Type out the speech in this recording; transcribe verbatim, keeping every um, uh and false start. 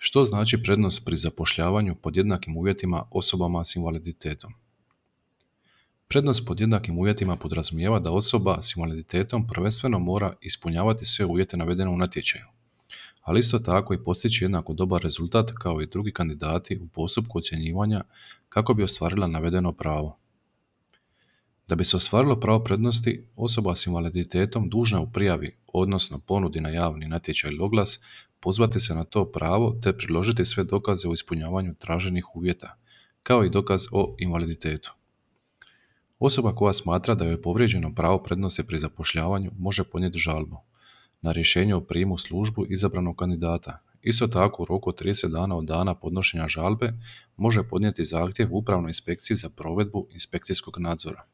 Što znači prednost pri zapošljavanju pod jednakim uvjetima osobama s invaliditetom? Prednost pod jednakim uvjetima podrazumijeva da osoba s invaliditetom prvenstveno mora ispunjavati sve uvjete navedene u natječaju, ali isto tako i postići jednako dobar rezultat kao i drugi kandidati u postupku ocjenjivanja kako bi ostvarila navedeno pravo. Da bi se ostvarilo pravo prednosti, osoba s invaliditetom dužna je u prijavi, odnosno ponudi na javni natječaj ili oglas, pozvati se na to pravo te priložiti sve dokaze o ispunjavanju traženih uvjeta, kao i dokaz o invaliditetu. Osoba koja smatra da joj je povrijeđeno pravo prednosti pri zapošljavanju može podnijeti žalbu na rješenje o prijemu u službu izabranog kandidata. Isto tako, u roku od trideset dana od dana podnošenja žalbe može podnijeti zahtjev Upravnoj inspekciji za provedbu inspekcijskog nadzora.